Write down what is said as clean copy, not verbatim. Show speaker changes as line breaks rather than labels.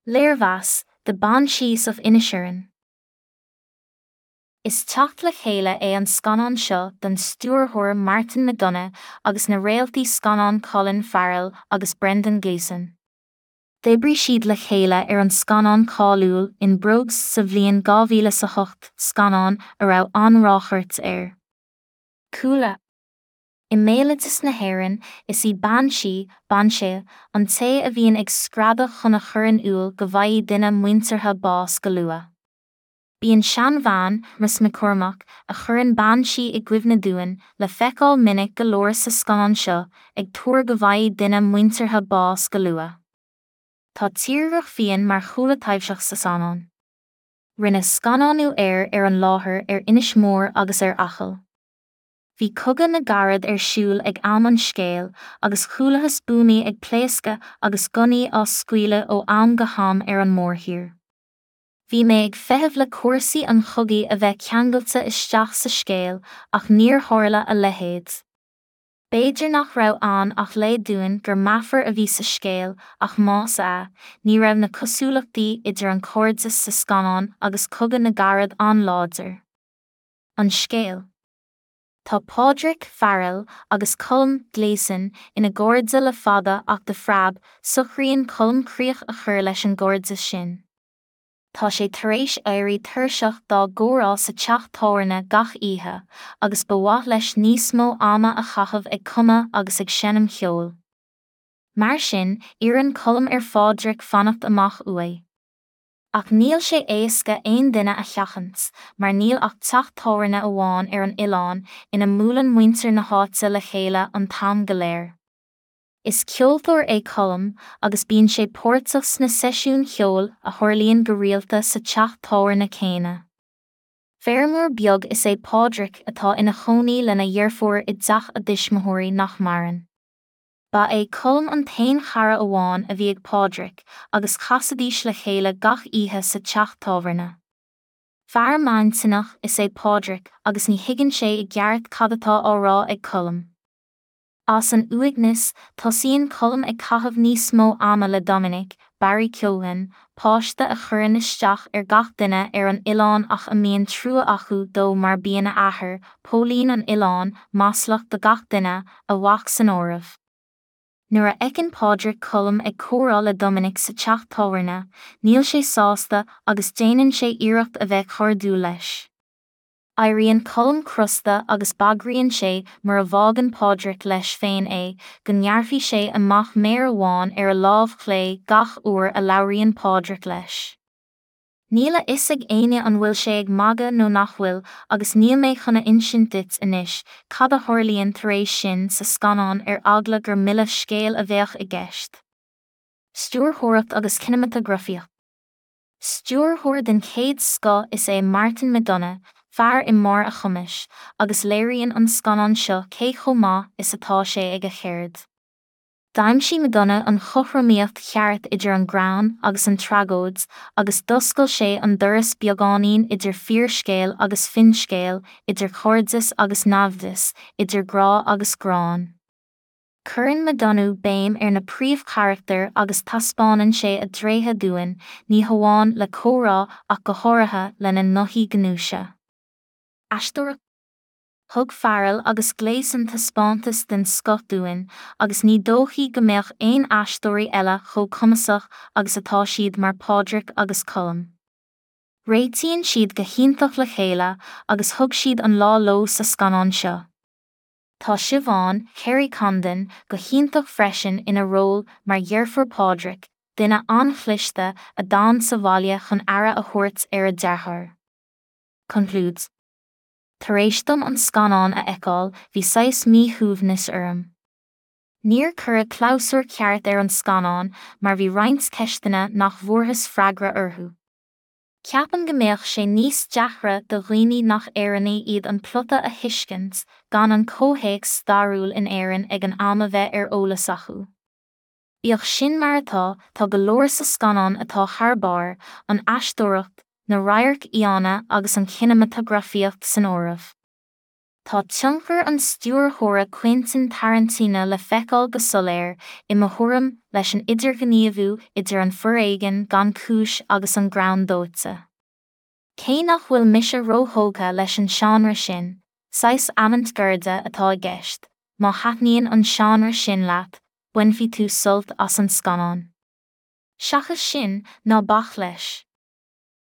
Léirmheas, The Banshees of Inisherin. Is teacht le chéile é an scannán seo don stiúrthóir Martin McDonagh agus na réaltaí scannán Colin Farrell agus Brendan Gleeson. D'oibrigh siad le chéile ar an scannán cáiliúil In Bruges sa bhliain 2008, scannán a raibh an-ráchairt air. Cúla. I mbéaloideas na hÉireann, is í bean sí, banshee, an té a bhíonn ag screadach chun a chur in iúl go bhfaighidh duine muinteartha bás go luath. Bíonn seanbhean, Mrs McCormack, a chuireann bean sí i gcuimhne dúinn, le feiceáil minic go leor sa scannán seo, ag tuar go bhfaighidh duine muinteartha bás go luath. Tá tírdhreach fiáin mar chúla taibhseach sa scannán. Rinneadh scannánú air ar an láthair ar Inis Mór agus ar Acaill. Bhí Cogadh na gCarad ar siúl ag am an scéil agus chualathas buamaí ag pléascadh agus gunnaí á scaoileadh ó am go ham ar an mórthír. Bhí mé ag feitheamh le cúrsaí an chogaidh a bheith ceangailte isteach sa scéal ach níor tharla a leithéid. B'fhéidir nach raibh ann ach leid dúinn gur meafar a bhí sa scéal ach más ea, ní raibh na cosúlachtaí idir an cairdeas sa scannán agus Cogadh na gCarad an-láidir. An scéal. Tá Pádraic, Farrell, agus Colm, Gleeson, ina gcairde le fada ach de phreab, socraíonn Colm críoch a chur leis an gcairdeas sin. Tá sé tar éis éirí tuirseach dá gcomhrá sa teach tábhairne gach oíche, agus ba mhaith leis níos mó ama a chaitheamh ag cumadh agus ag seinm cheoil. Mar sin, iarrann Colm ar Phádraic fanacht amach uaidh. Ach níl sé éasca aon duine a sheachaint, mar níl ach teach tábhairne amháin ar an oileán ina mbuaileann muintir na háite le chéile an t-am go léir. Is ceoltóir é Colm agus bíonn sé páirteach sna seisiúin cheoil a tharlaíonn go rialta sa teach tábhairne céanna. Feirmeoir beag is ea Pádraic atá ina chónaí lena dheirfiúr i dteach a dtuismitheoirí nach maireann. Ba é Colm an t-aon chara amháin a bhí ag Pádraic agus chasaidís le chéile gach oíche sa teach tábhairne. Fear maintinneach is ea Pádraic agus ní thuigeann sé i gceart cad atá á rá ag Colm. As an uaigneas, tosaíonn Colm ag caitheamh níos mó ama le Dominic, Barry Keoghan, páiste a chuireann isteach ar gach duine ar an oileán ach a mbíonn trua acu dó mar bíonn a athair, póilín an oileáin, maslach do gach duine, a mhac san áireamh. Nuair a fheiceann Pádraic Colm ag comhrá le Dominic sa teach tábhairne, níl sé sásta agus déanann sé iarracht a bheith cairdiúil leis. Éiríonn Colm crosta agus bagraíonn sé mura bhfágann Pádraic leis féin é, go ngearrfaidh sé amach méar amháin ar a lámh chlé gach uair a labhraíonn Pádraic leis. Níl a fhios ag éinne an bhfuil sé ag magadh nó nach bhfuil agus níl mé chun a insint duit anois cad a tharlaíonn tar éis sin sa scannán ar eagla gur milleadh scéil a bheadh i gceist. Stiúrthóireacht agus cineamatagrafaíocht. Stiúrthóir den chéad scoth is ea Martin McDonagh, fear i mbarr a chumais, agus léiríonn an scannán seo cé chomh maith is atá sé ag a cheird. D'aimsigh McDonagh an chothromaíocht cheart idir an greann agus an tragóid agus d'oscail sé an doras beagáinín idir fíorscéal agus finscéal, idir chairdeas agus naimhdeas, idir grá agus gráin. Cuireann McDonagh béim ar na príomhcharachtair agus taispeánann sé a dtréithe dúinn, ní hamháin le comhrá ach go háirithe lena ngothaí gnúise. Aisteoireacht. Thug Farrell agus Gleeson taispeántas den scoth dúinn agus ní dóichí go mbeadh aon aisteoirí eile chomh cumasach agus atá siad mar Pádraic agus Colm. Réitíonn siad go hiontach le chéile agus thug siad an lá leo sa scannán seo. Tá Siobhán, Kerry Condon, go hiontach freisin ina ról mar dheirfiúr Phádraic, duine an-chliste a d'fhan sa bhaile chun aire a thabhairt ar a deartháir. Conclúid. Tar éis dom an scannán a fheiceáil bhí saghas míshuaimhnis orm. Níor cuireadh clabhsúr ceart ar an scannán mar bhí roinnt ceisteanna nach bhfuarthas freagra orthu. Ceapaim go mbeadh sé níos deacra do dhaoine nach Éireannaigh iad an plota a thuiscint gan an comhthéacs stairiúil in Éirinn ag an am a bheith ar eolas acu. Bíodh sin mar atá, tá go leor sa scannán atá thar barr, an aisteoireacht, na radhairc fhiáine agus an chineamatagrafaíocht san áireamh. Tá tionchar an stiúrthóra Quentin Tarantino le feiceáil go soiléir, i mo thuairim, leis an idirghníomhú idir an foréigean gan chúis agus an greann dóite. Cé nach bhfuil mise róthógtha leis an seánra sin, saghas avant-garde atá i gceist, má thaitníonn an seánra sin leat, bainfidh tú sult as an scannán. Seachas sin, ná bac leis.